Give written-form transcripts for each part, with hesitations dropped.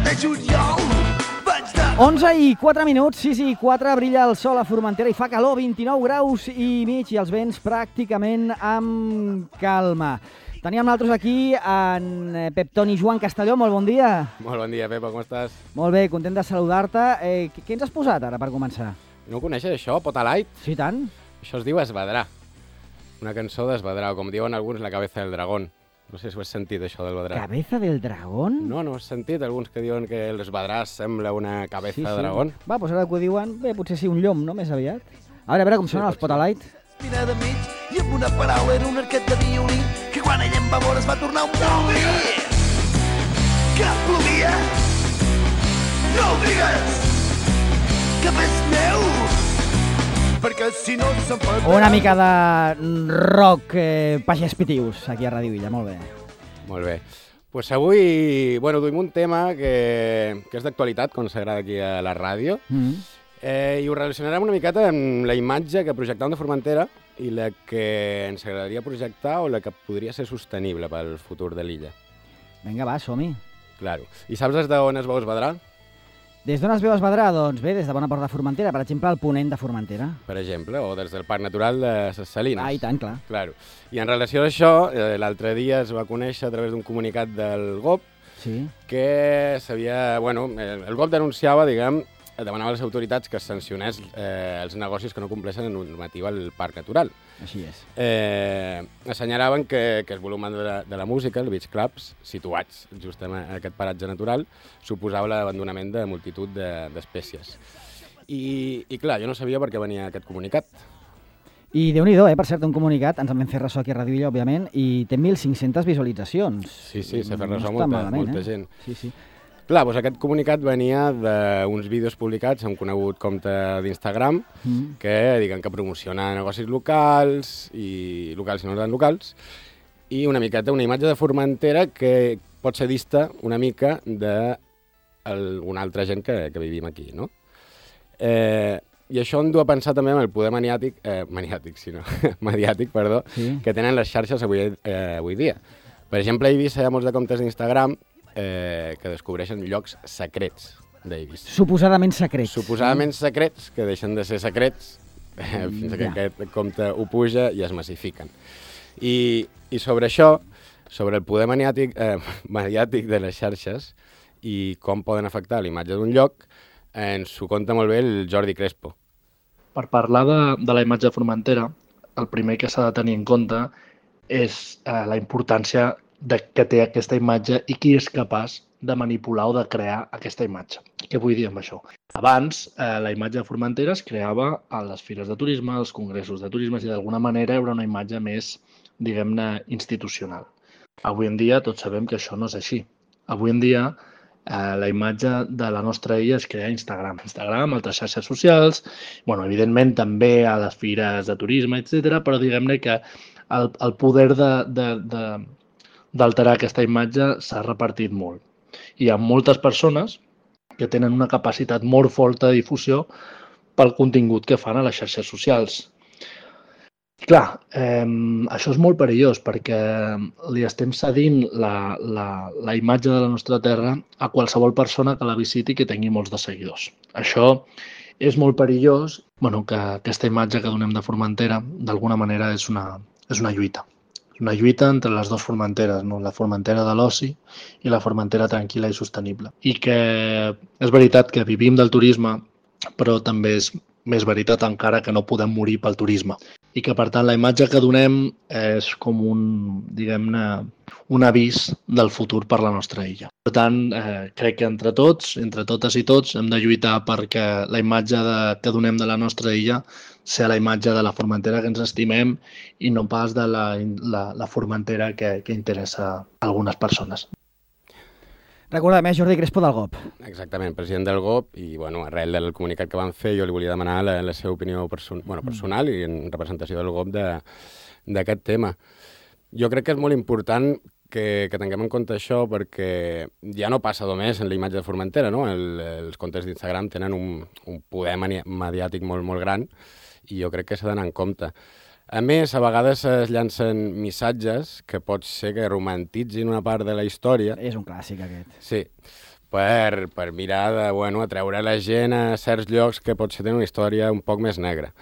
de juliol vaig de... 11 i 4 minuts, 6 i 4, brilla el sol a Formentera i fa calor, 29 graus i mig i els vents pràcticament amb calma. Teníem nosaltres aquí en Pep Toni Joan Castelló, molt bon dia. Molt bon dia, Pepa, com estàs? Molt bé, content de saludar-te. Què ens has posat ara per començar? No ho coneixes, això, Potalight? Sí, tant. Això es diu Esvedrà. Una cançó d'Esvedrà, o com diuen alguns, la cabeza del dragón. No sé si ho has sentit, això del Vedrà. Cabeza del dragón? No, no has sentit alguns que diuen que l'Esvedrà sembla una cabeza de dragón? Va, doncs ara que ho diuen, bé, potser sí un llom, no?, més aviat. A veure com sonen els Potalight. Mira de mig i amb una paraula era un arquet de violí que quan ella em va veure es va tornar un violí. Que plovia? No ho digues! Que ves meu! Perquè si no se'n pot... Una mica de rock pagès pitius aquí a Ràdio Illa, molt bé. Molt bé. Pues avui, bueno, duim un tema que és d'actualitat, com s'agrada aquí a la ràdio, i ho relacionarem una miqueta amb la imatge que projectàvem de Formentera i la que ens agradaria projectar o la que podria ser sostenible pel futur de l'illa. Vinga, va, som-hi. Claro. I saps des d'on es veu Esvedrà? Des d'on es veu Esvedrà? Doncs bé, des de Bona Port de Formentera, per exemple, al ponent de Formentera. Per exemple, o des del Parc Natural de Ses Salines. Ah, i tant, clar. Claro. I en relació a això, l'altre dia es va conèixer a través d'un comunicat del GOP que s'havia... Bueno, el GOP denunciava, diguem, demanava a les autoritats que es sancionés els negocis que no compleixen la normativa al Parc Natural. Així és. Assenyalaven que el volum de la música, els beach clubs, situats just en aquest paratge natural, suposava l'abandonament de multitud d'espècies. I clar, jo no sabia per què venia aquest comunicat. I Déu-n'hi-do, per cert, un comunicat, ens en vam fer ressò aquí a Ràdio Illa, òbviament, i té 1.500 visualitzacions. Sí, s'ha fet ressò no molta gent. Sí. Clar, doncs aquest comunicat venia d'uns vídeos publicats a un conegut compte d'Instagram que diguen que promociona negocis locals i no tan locals i una miqueta una imatge de Formentera que pot ser dista una mica d'alguna altra gent que vivim aquí, no? I això em du a pensar també en el poder mediàtic, que tenen les xarxes avui dia. Per exemple, a Eivissa hi ha molts de comptes d'Instagram que descobreixen llocs secrets d'Eivissa. Suposadament secrets. Suposadament secrets, que deixen de ser secrets fins que aquest compte ho puja i es massifiquen. I sobre això, sobre el poder mediàtic de les xarxes i com poden afectar l'imatge d'un lloc, ens ho conta molt bé el Jordi Crespo. Per parlar de la imatge de Formentera, el primer que s'ha de tenir en compte és la importància que té aquesta imatge i qui és capaç de manipular o de crear aquesta imatge. Què vull dir amb això? Abans, la imatge de Formentera es creava a les fires de turisme, als congressos de turisme, i d'alguna manera era una imatge més, diguem-ne, institucional. Avui en dia tots sabem que això no és així. Avui en dia la imatge de la nostra illa es crea a Instagram, altres xarxes socials, evidentment també a les fires de turisme, etc. Però diguem-ne que el poder d'alterar aquesta imatge s'ha repartit molt. Hi ha moltes persones que tenen una capacitat molt forta de difusió pel contingut que fan a les xarxes socials. Clar, això és molt perillós perquè li estem cedint la imatge de la nostra terra a qualsevol persona que la visiti i que tingui molts de seguidors. Això és molt perillós, que aquesta imatge que donem de Formentera d'alguna manera és una lluita. Una lluita entre les dues Formenteres, no? La Formentera de l'oci i la Formentera tranquil·la i sostenible. I que és veritat que vivim del turisme, però també és més veritat encara que no podem morir pel turisme. I que, per tant, la imatge que donem és com un avís del futur per la nostra illa. Per tant, crec que entre totes i tots, hem de lluitar perquè la imatge que donem de la nostra illa sigui la imatge de la Formentera que ens estimem i no pas de la Formentera que interessa a algunes persones. Recordem, Jordi Crespo del GOP. Exactament, president del GOP, i arrel del comunicat que van fer jo li volia demanar la seva opinió personal i en representació del GOP d'aquest tema. Jo crec que és molt important que tinguem en compte això perquè ja no passa només en la imatge de Formentera, no? Els comptes d'Instagram tenen un poder mediàtic molt, molt gran i jo crec que s'ha d'anar en compte. A més, a vegades es llancen missatges que pot ser que romantitzin una part de la història. És un clàssic, aquest. Sí, per mirar de, atreure la gent a certs llocs que potser tenen una història un poc més negra.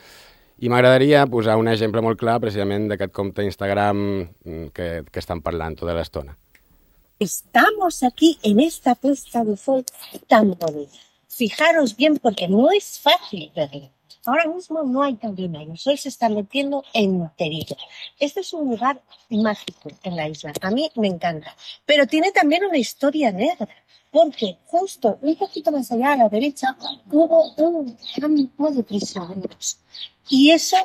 I m'agradaria posar un exemple molt clar precisament d'aquest compte Instagram que estan parlant tota l'estona. Estamos aquí en esta puesta de sol tan bonita. Fijaros bien porque no es fácil verlo. Ahora mismo no hay luna, el sol se está metiendo enterito. Este es un lugar mágico en la isla, a mí me encanta. Pero tiene también una historia negra, porque justo un poquito más allá a la derecha hubo un campo de prisioneros. Y eso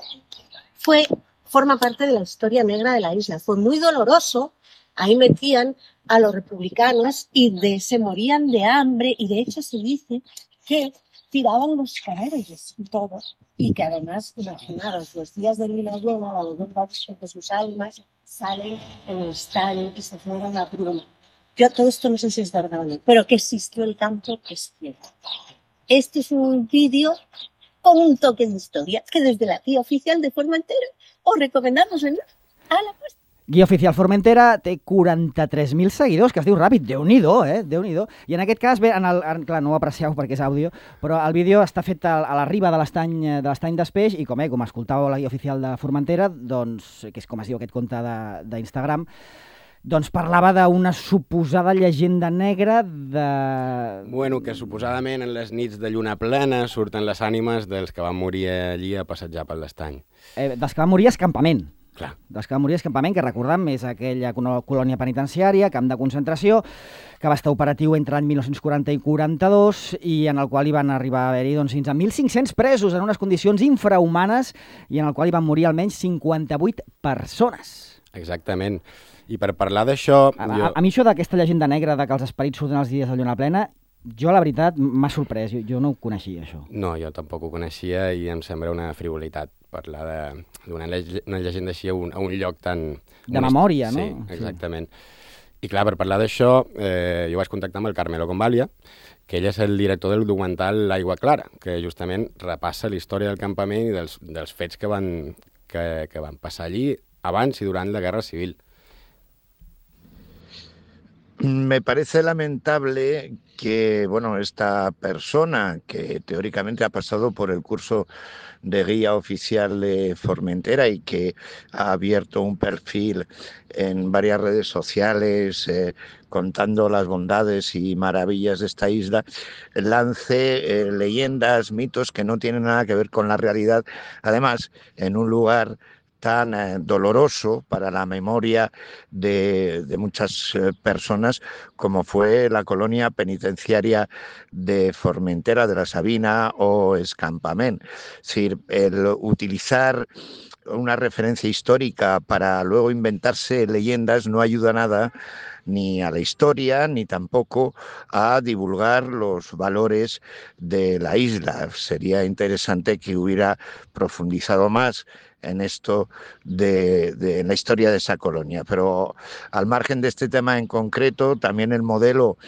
forma parte de la historia negra de la isla. Fue muy doloroso, ahí metían a los republicanos y se morían de hambre, y de hecho se dice que tiraban los cadáveres y todo, y que además, imaginaros, los días de luna llena, la leyenda dice que sus almas salen en el estadio y se fueron a pluma. Yo todo esto no sé si es verdad o no, pero que existió el campo es cierto. Este es un vídeo con un toque de historia que desde la guía oficial de Formentera os recomendamos a la puesta. Guia Oficial Formentera té 43.000 seguidors, que es diu ràpid, Déu-n'hi-do, Déu-n'hi-do. I en aquest cas, clar, no ho aprecieu perquè és àudio, però el vídeo està fet a la riba de l'estany d'Espeix i com escoltàveu la Guia Oficial de Formentera, doncs, que és com es diu aquest compte d'Instagram, doncs parlava d'una suposada llegenda negra de... Que suposadament en les nits de lluna plena surten les ànimes dels que van morir allí a passejar per l'estany. Dels que van morir a escampament. Clar. Dels que van morir a escampament, que recordem és aquella colònia penitenciària, camp de concentració, que va estar operatiu entre l'any 1940 i 42 i en el qual hi van arribar a haver-hi fins a 1.500 presos en unes condicions infrahumanes i en el qual hi van morir almenys 58 persones. Exactament. I per parlar d'això... A mi això d'aquesta llegenda negra de que els esperits surten els dies de lluna plena, jo, la veritat, m'ha sorprès. Jo no ho coneixia, això. No, jo tampoc ho coneixia i em sembla una frivolitat parlar d'una llegenda així a un lloc tan... De memòria, no? Sí, exactament. I clar, per parlar d'això, jo vaig contactar amb el Carmelo Convalia, que ell és el director del documental L'Aigua Clara, que justament repassa la història del campament i dels fets que van passar allí abans i durant la Guerra Civil. Me parece lamentable que, esta persona que teóricamente ha pasado por el curso de guía oficial de Formentera y que ha abierto un perfil en varias redes sociales contando las bondades y maravillas de esta isla, lance leyendas, mitos que no tienen nada que ver con la realidad, además en un lugar tan doloroso para la memoria de muchas personas como fue la colonia penitenciaria de Formentera de la Sabina o Escampament. Es decir, el utilizar una referencia histórica para luego inventarse leyendas no ayuda nada ni a la historia, ni tampoco a divulgar los valores de la isla. Sería interesante que hubiera profundizado más en esto en la historia de esa colonia. Pero al margen de este tema en concreto, también el modelo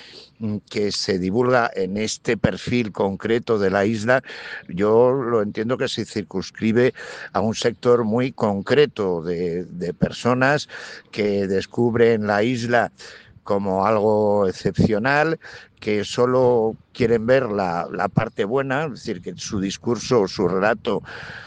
que se divulga en este perfil concreto de la isla, yo lo entiendo que se circunscribe a un sector muy concreto de personas que descubren la isla como algo excepcional, que solo quieren ver la parte buena, es decir, que su discurso, su relato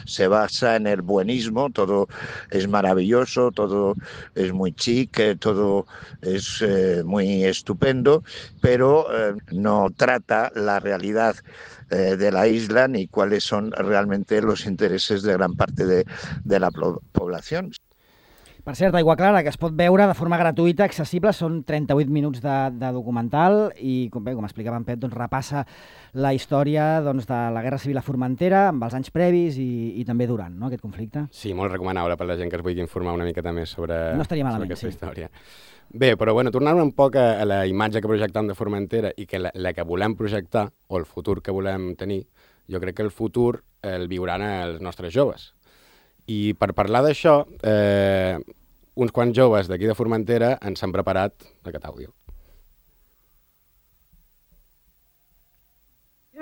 se basa en el buenismo, todo es maravilloso, todo es muy chic, todo es muy estupendo, pero no trata la realidad de la isla ni cuáles son realmente los intereses de gran parte de la población. Per cert, Aigua Clara, que es pot veure de forma gratuïta, accessible, són 38 minuts de documental i, com explicava en Pep, repassa la història de la Guerra Civil a Formentera amb els anys previs i també durant aquest conflicte. Sí, molt recomanable per la gent que es vulgui informar una miqueta més sobre aquesta història. Bé, però tornant un poc a la imatge que projectam de Formentera i que la que volem projectar, o el futur que volem tenir, jo crec que el futur el viuran els nostres joves. I per parlar d'això, uns quants joves d'aquí de Formentera ens han preparat aquest àudio.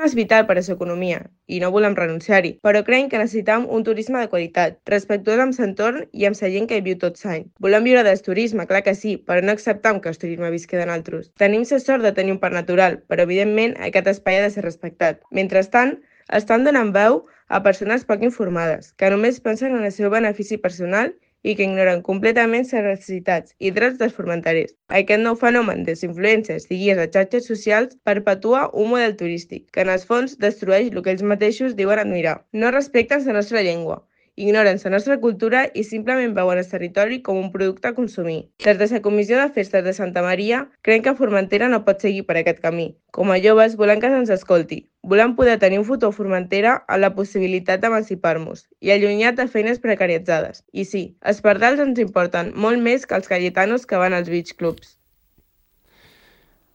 és vital per a la seva economia i no volem renunciar-hi, però creiem que necessitem un turisme de qualitat, respectuós amb l'entorn i amb la gent que hi viu tot l'any. Volem viure del turisme, clar que sí, però no acceptem que el turisme visqui de nosaltres. Tenim la sort de tenir un parc natural, però evidentment aquest espai ha de ser respectat. Mentrestant, estan donant veu a persones poc informades, que només pensen en el seu benefici personal i que ignoren completament les necessitats i drets dels formenterers. Aquest nou fenomen de les influències i guies a xarxes socials perpetua un model turístic que en el fons destrueix el que ells mateixos diuen admirar. No respecten la nostra llengua, ignoren la nostra cultura i simplement veuen el territori com un producte a consumir. Des de la Comissió de Festes de Santa Maria, creiem que Formentera no pot seguir per aquest camí. Com a joves, volem que se'ns escolti. Volem poder tenir un futur a Formentera amb la possibilitat d'emancipar-nos i allunyat de feines precaritzades. I sí, els pardals ens importen molt més que els cayetanos que van als beach clubs.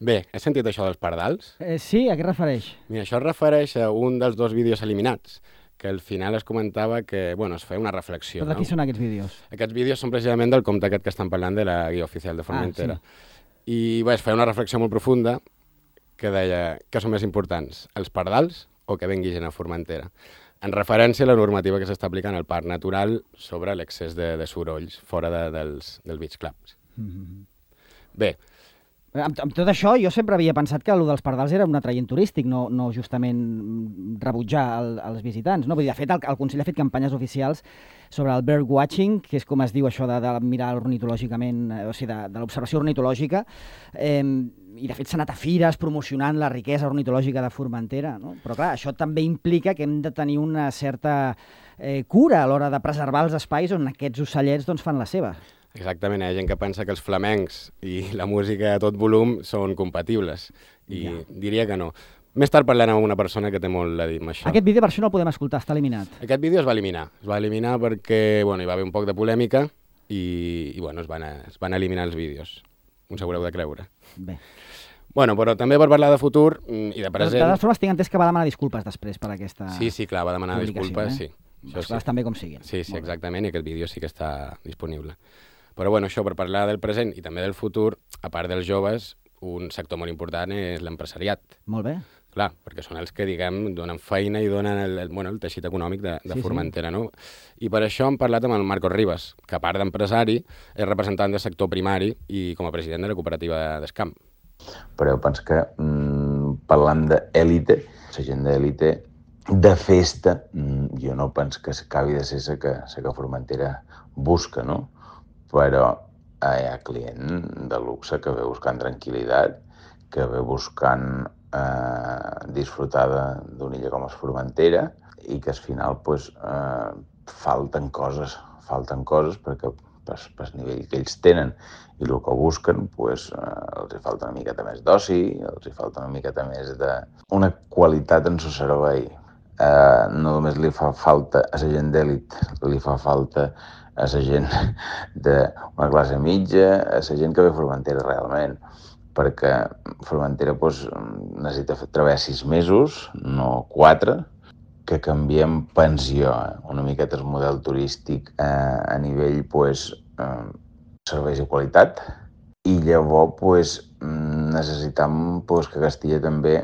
Bé, has sentit això dels pardals? Sí, a què es refereix? Mira, això es refereix a un dels 2 vídeos eliminats, que al final es comentava que, bueno, es feia una reflexió. Però de qui són aquests vídeos? Aquests vídeos són precisament del compte aquest que estan parlant de la guia oficial de Formentera. Sí. I bé, es feia una reflexió molt profunda que deia què són més importants, els pardals o que vengui gent a Formentera? En referència a la normativa que s'està aplicant al Parc Natural sobre l'excés de sorolls fora dels beach clubs. Bé, Amb tot això, jo sempre havia pensat que el dels pardals era un atraient turístic, no justament rebutjar els visitants. No? Vull dir, de fet, el Consell ha fet campanyes oficials sobre el bird watching, que és com es diu això de mirar ornitològicament, o sigui, de l'observació ornitològica, i de fet s'ha anat a fires promocionant la riquesa ornitològica de Formentera. No? Però clar, això també implica que hem de tenir una certa cura a l'hora de preservar els espais on aquests ocellets doncs, fan la seva. exactament, hi ha gent que pensa que els flamencs i la música a tot volum són compatibles, i diria que no. Més tard parlarem amb una persona que té molt a dir amb això. Aquest vídeo per això no el podem escoltar, està eliminat. Aquest vídeo es va eliminar perquè bueno, hi va haver un poc de polèmica i bueno, es van eliminar els vídeos. Us haureu de creure. Bé. Bueno, però també per parlar de futur i de present... De totes formes, tinc entès que va demanar disculpes després per aquesta Sí, clar, va demanar disculpes, sí. Les coses també com siguin. Sí, exactament, i aquest vídeo sí que està disponible. Però bueno, això per parlar del present i també del futur, a part dels joves, un sector molt important és l'empresariat. Molt bé. Clar, perquè són els que, diguem, donen feina i donen el teixit econòmic de Formentera, no? I per això hem parlat amb el Marcos Ribas, que a part d'empresari és representant del sector primari i com a president de la cooperativa d'Escamp. Però jo penso que parlant d'èlite, la gent d'èlite, de festa, jo no penso que s'acabi de ser la que Formentera busca, no? Però hi ha client de luxe que ve buscant tranquil·litat, que ve buscant disfrutar d'una illa com és Formentera i que al final pues, falten coses perquè pel nivell que ells tenen i el que busquen pues, els hi falta una miqueta més d'oci, els hi falta una miqueta més d'una qualitat en el servei. No només li fa falta a la gent d'èlit, li fa falta a la gent d'una classe mitja, a la gent que ve a Formentera realment, perquè Formentera pues, necessita treballar 6 mesos, no 4, que canviem pensió, una miqueta el model turístic a nivell pues, serveis i qualitat, i llavors pues, necessitam pues, que Castilla també,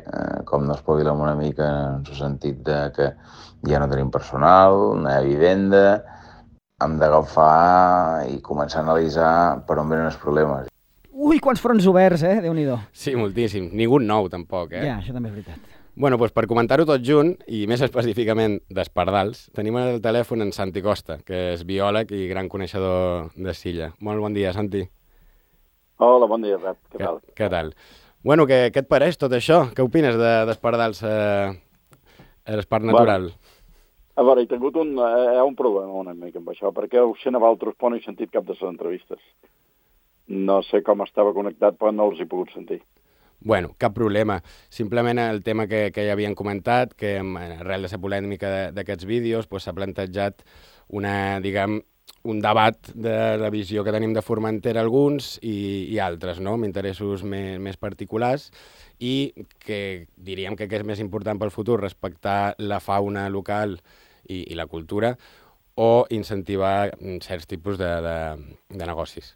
com no espavilem una mica en el sentit de que ja no tenim personal, no hi ha vivenda, hem d'agafar i començar a analitzar per on venen els problemes. Ui, quants fronts oberts, Déu-n'hi-do. Sí, moltíssim. Ningú nou, tampoc, Ja, això també és veritat. Bueno, doncs per comentar-ho tot junt, i més específicament d'Espardals, tenim al telèfon en Santi Costa, que és biòleg i gran coneixedor de Silla. Molt bon dia, Santi. Hola, bon dia, Pep. Què tal? Què tal? Bueno, què et pareix tot això? Què opines d'Espardals a l'Espart Natural? A veure, hi ha un problema una mica amb això, perquè el Xenavaltros no he sentit cap de les entrevistes. No sé com estava connectat, però no els he pogut sentir. Bueno, cap problema. Simplement el tema que ja havien comentat, que arrel de la polèmica d'aquests vídeos s'ha plantejat un debat de la visió que tenim de Formentera alguns i altres, no? Amb interessos més particulars, i que diríem que és més important pel futur respectar la fauna local i la cultura o incentivar certs tipus de negocis.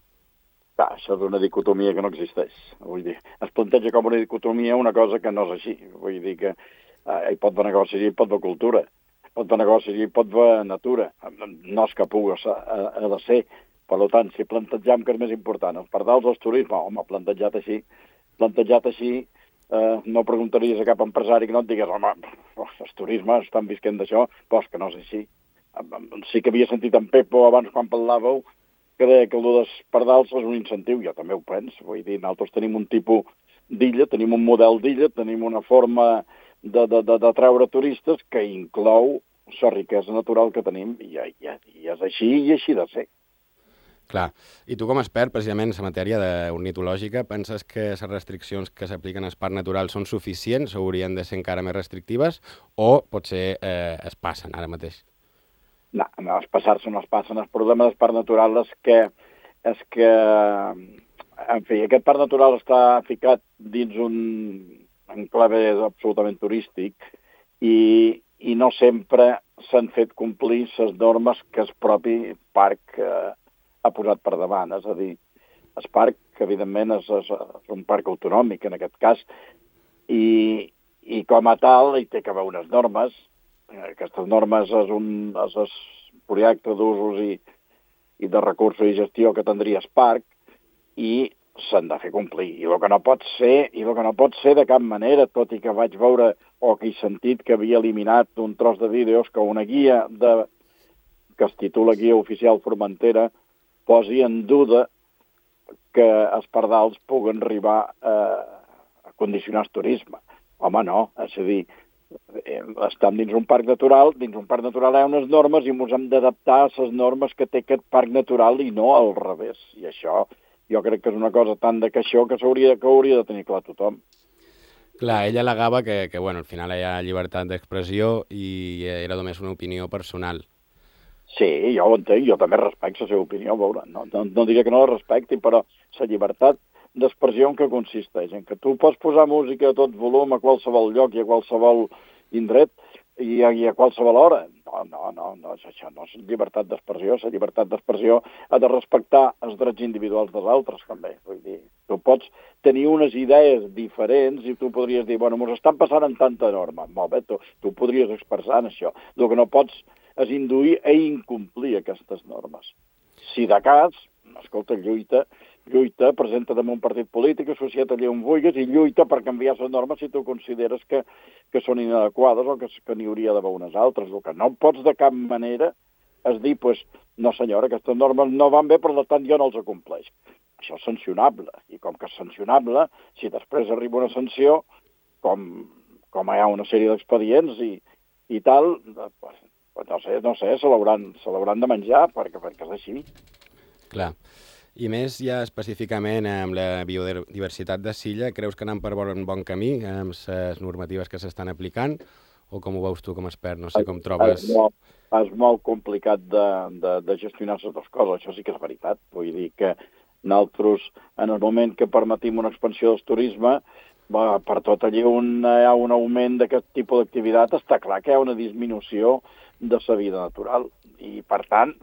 Això és una dicotomia que no existeix. Vull dir, es planteja com una dicotomia una cosa que no és així. Vull dir que Hi pot haver negocis i hi pot haver cultura. Pot haver negocis i hi pot haver natura. No és que pugui, ha de ser. Per tant, si plantejam que és més important els pardals o el turisme, home, plantejat així, no preguntaries a cap empresari que no et digués, home, el turisme estan visquent d'això, però és que no és així. Sí que havia sentit en Pepo abans quan parlàveu que deia que el dels pardals és un incentiu, jo també ho penso, vull dir, nosaltres tenim un tipus d'illa, tenim un model d'illa, tenim una forma d'atraure turistes que inclou la riquesa natural que tenim, i és així i així de ser. Clar. I tu com a expert, precisament, en la matèria ornitològica, penses que les restriccions que s'apliquen als parcs naturals són suficients o haurien de ser encara més restrictives o potser es passen ara mateix? No, es passar-se no es passen. El problema del parc natural és que, en fi, aquest parc natural està ficat dins un enclave absolutament turístic i no sempre s'han fet complir les normes que el propi parc ha posat per davant. És a dir, el parc, que evidentment és un parc autonòmic en aquest cas, i com a tal hi té que haver unes normes. Aquestes normes és el projecte d'usos i de recursos i gestió que tindria el parc i s'han de fer complir. I el que no pot ser de cap manera, tot i que vaig veure o que he sentit que havia eliminat un tros de vídeos que una guia que es titula Guia Oficial Formentera posi en dubte que els pardals puguen arribar a condicionar el turisme. Home, no, és a dir, estem dins un parc natural hi ha unes normes i ens hem d'adaptar a les normes que té aquest parc natural i no al revés. I això jo crec que és una cosa tan de caixó que hauria de tenir clar tothom. Clar, ell al·legava que al final hi ha llibertat d'expressió i era només una opinió personal. Sí, jo ho entenc, jo també respecto la seva opinió, veure, no diré que no la respecti, però la llibertat d'expressió en què consisteix? En que tu pots posar música a tot volum a qualsevol lloc i a qualsevol indret i a qualsevol hora. No, això no és llibertat d'expressió. La llibertat d'expressió ha de respectar els drets individuals dels altres, també. Vull dir, tu pots tenir unes idees diferents i tu podries dir, bueno, ens estan passant en tanta norma. Molt bé, tu podries expressar en això. El que no pots és induir a incomplir aquestes normes. Si de cas, escolta, lluita, presenta damunt un partit polític, associa't allà on vulguis i lluita per canviar les normes si tu consideres que són inadequades o que n'hi hauria d'haver unes altres. El que no pots de cap manera és dir, no senyora, aquestes normes no van bé, per tant jo no els compleix. Això és sancionable. I com que és sancionable, si després arriba una sanció, com hi ha una sèrie d'expedients i tal, no sé, se l'hauran de menjar, perquè és així. Clar. I més ja específicament amb la biodiversitat de Silla, creus que anem per bon camí amb les normatives que s'estan aplicant? O com ho veus tu com a expert? No sé com trobes... És molt complicat de gestionar les dues coses, això sí que és veritat. Vull dir que nosaltres, en el moment que permetim una expansió del turisme, per tot allí on hi ha un augment d'aquest tipus d'activitat, està clar que hi ha una disminució de la vida natural. I, per tant,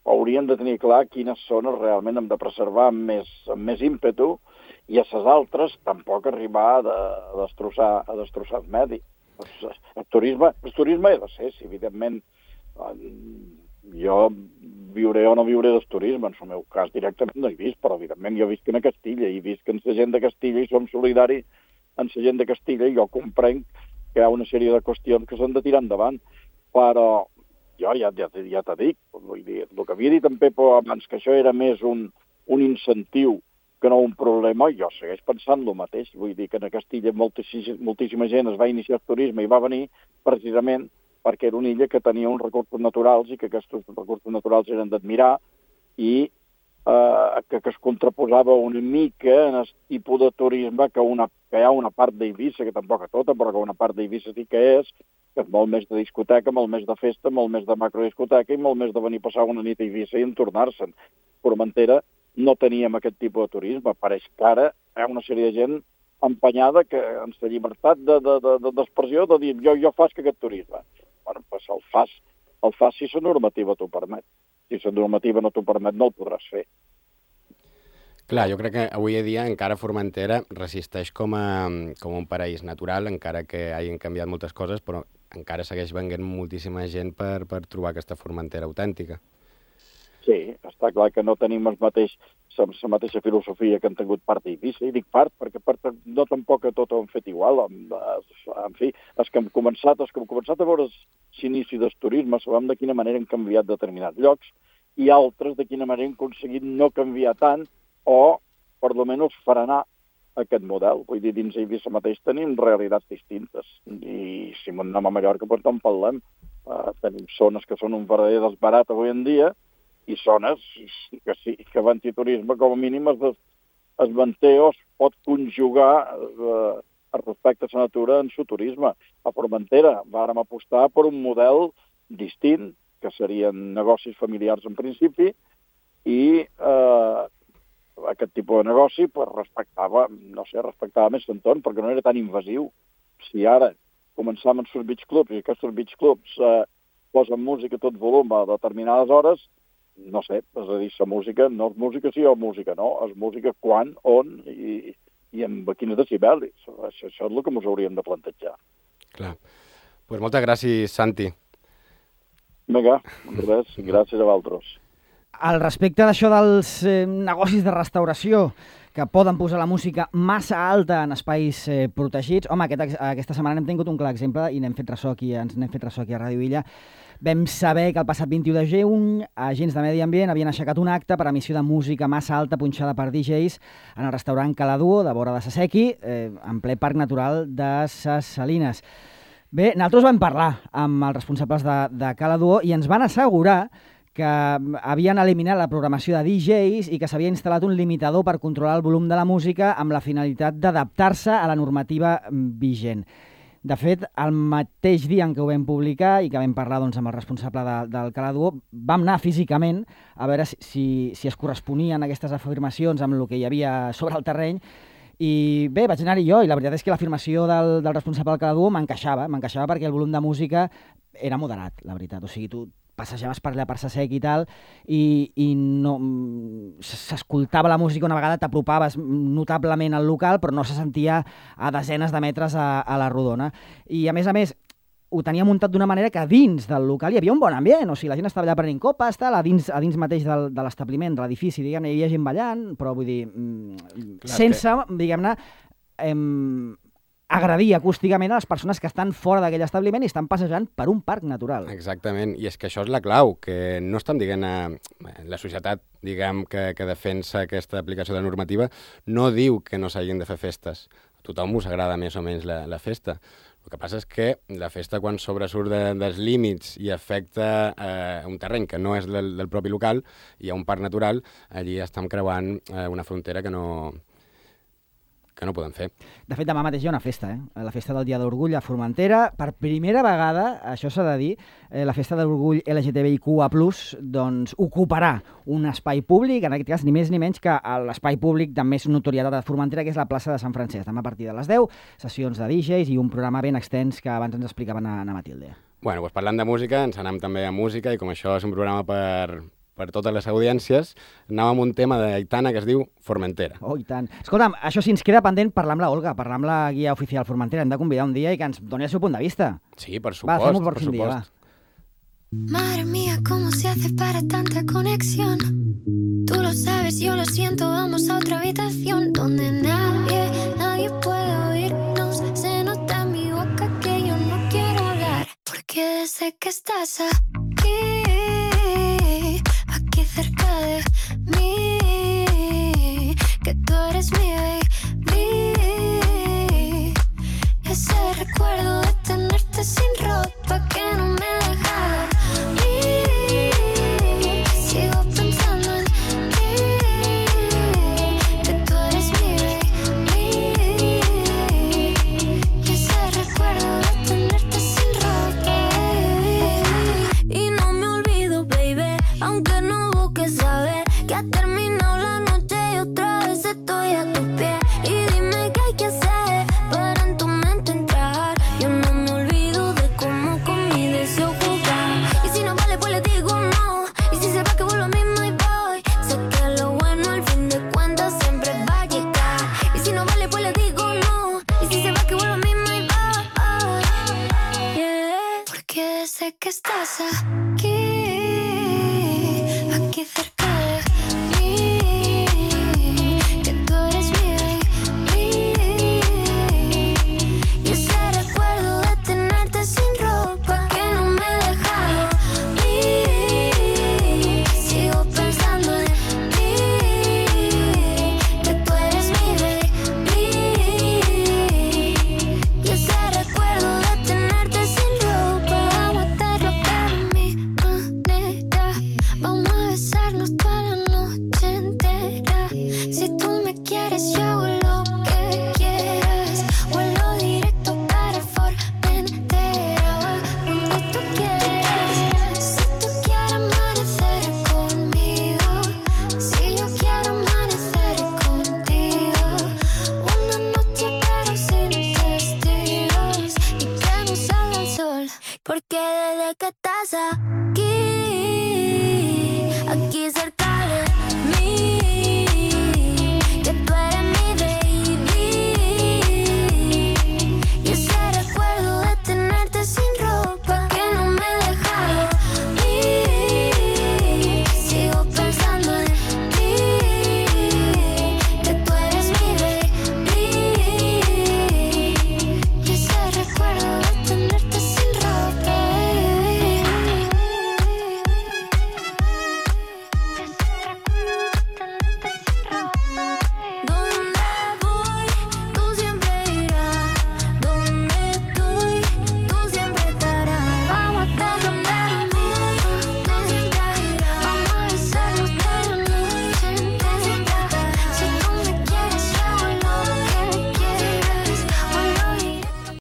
hauríem de tenir clar quines zones realment hem de preservar amb més ímpetu i a les altres tampoc arribar a destrossar el medi. El turisme ha de ser, si evidentment jo viuré o no viuré del turisme, en el meu cas directament no he vist, però evidentment jo visc a Castilla i visc amb la gent de Castilla i som solidaris amb la gent de Castilla i jo comprenc que hi ha una sèrie de qüestions que s'han de tirar endavant, però jo ja t'ho dic, vull dir, el que havia dit en Pepo abans, que això era més un incentiu que no un problema, jo segueix pensant el mateix. Vull dir que a Castilla moltíssima gent es va iniciar el turisme i va venir precisament perquè era una illa que tenia uns recursos naturals i que aquests recursos naturals eren d'admirar i que es contraposava una mica en el tipus de turisme que hi ha una part d'Eivissa, que tampoc a tota, però que una part d'Eivissa sí que és molt més de discoteca, molt més de festa, molt més de macrodiscoteca i molt més de venir a passar una nit a Eivissa i en tornar-se'n. Formentera no teníem aquest tipus de turisme. Pareix que ara hi ha una sèrie de gent empenyada que en la llibertat d'expressió de dir jo faig aquest turisme. Bueno, doncs el fas si la normativa t'ho permet. Si la normativa no t'ho permet, no el podràs fer. Clar, jo crec que avui a dia encara Formentera resisteix com un paraís natural, encara que hagin canviat moltes coses, però encara segueix venint moltíssima gent per trobar aquesta Formentera autèntica. Sí, està clar que no tenim la mateixa filosofia que han tingut part i Eivissa, i dic part perquè no tampoc tot ho han fet igual. En fi, els que hem començat a veure l'inici del turisme sabem de quina manera han canviat determinats llocs i altres de quina manera han aconseguit no canviar tant o, per lo menys, frenar aquest model. Vull dir, dins Eivissa mateix tenim realitats distintes i si anem a Mallorca doncs en parlem. Tenim zones que són un verdader desbarat avui en dia i zones que sí, que l'antiturisme com a mínim es manté o es pot conjugar respecte a la natura en el turisme. A Formentera vàrem apostar per un model distint, que serien negocis familiars en principi, i aquest tipus de negoci respectava més l'entorn, perquè no era tan invasiu. Si ara començàvem amb els beach clubs i aquests beach clubs posen música a tot volum a determinades hores, no sé, és a dir, la música no és música sí o música no, és música quan, on i amb quins decibelis. Això és el que ens hauríem de plantejar. Clar. Pues moltes gràcies, Santi. Vinga, res, gràcies a vosaltres. Al respecte d'això dels negocis de restauració que poden posar la música massa alta en espais protegits, home, aquesta setmana n'hem tingut un clar exemple i n'hem fet ressò aquí a Ràdio Illa. Vam saber que el passat 21 de juny agents de Medi Ambient havien aixecat un acte per emissió de música massa alta punxada per DJs en el restaurant Caladuo, de vora de Sasequi, en ple Parc Natural de Ses Salines. Bé, nosaltres vam parlar amb els responsables de Caladuo i ens van assegurar que havien eliminat la programació de DJs i que s'havia instal·lat un limitador per controlar el volum de la música amb la finalitat d'adaptar-se a la normativa vigent. De fet, el mateix dia en què ho vam publicar i que vam parlar doncs, amb el responsable del Caladuo, vam anar físicament a veure si es corresponien aquestes afirmacions amb el que hi havia sobre el terreny. I bé, vaig anar-hi jo i la veritat és que l'afirmació del responsable del Caladuo m'encaixava perquè el volum de música era moderat, la veritat. O sigui, tu passejaves per allà per Sasec i tal i no s'escoltava la música una vegada, t'apropaves notablement al local, però no se sentia a desenes de metres a la rodona. I a més, ho tenia muntat d'una manera que dins del local hi havia un bon ambient, o sigui, la gent estava allà prenent copes, a dins mateix de l'establiment, de l'edifici, diguem-ne, hi havia gent ballant, però vull dir, sense, diguem-ne, agredir acústicament a les persones que estan fora d'aquell establiment i estan passejant per un parc natural. Exactament, i és que això és la clau, que no estem dient la societat, diguem, que defensa aquesta aplicació de la normativa, no diu que no s'hagin de fer festes. A tothom us agrada més o menys la festa. El que passa és que la festa, quan sobresurt dels límits i afecta un terreny que no és del propi local, hi ha un parc natural, allí estem creuant una frontera que no podem fer. De fet, demà mateix hi ha una festa, la festa del Dia d'Orgull a Formentera. Per primera vegada, això s'ha de dir, la festa d'Orgull LGTBIQA+, doncs ocuparà un espai públic, en aquest cas ni més ni menys que l'espai públic de més notorietat de Formentera, que és la plaça de Sant Francesc. Demà a partir de les 10, sessions de DJs i un programa ben extens que abans ens explicava na Matilde. Bueno, doncs parlant de música, ens anem també a música i com això és un programa per totes les audiències, anàvem amb un tema d'Aitana que es diu Formentera. Oh, i tant. Escolta'm, això si ens queda pendent, parlar amb la Olga, parlar amb la guia oficial Formentera. Hem de convidar un dia i que ens doni el seu punt de vista. Sí, per supost. Va, fem-ho per un dia, va. Madre mía, ¿cómo se hace para tanta conexión? Tú lo sabes, yo lo siento, vamos a otra habitación donde nadie puede oírnos. Se nota en mi boca que yo no quiero hablar, porque desde que estás aquí cerca de mí, que tú eres mi baby. Ese recuerdo de tenerte sin ropa que no me deja dormir. Sigo pensando en ti, que tú eres mi baby. Ese recuerdo de tenerte sin ropa, baby. Y pasa aquí cerca de mí, que tú eres mi baby. Y ese recuerdo de tenerte sin ropa que no me deja ir. Sigo pensando en ti, que tú eres mi baby. Y ese recuerdo de tenerte sin ropa, vamos a hacerlo a mi manera. Vamos a besarnos toda la noche entera. Si tú me quieres, yo hago lo que quieras. Vuelo directo para Formentera, donde tú quieras. Si tú quieres amanecer conmigo, si yo quiero amanecer contigo. Una noche pero sin testigos y que no salga el sol, porque desde que estás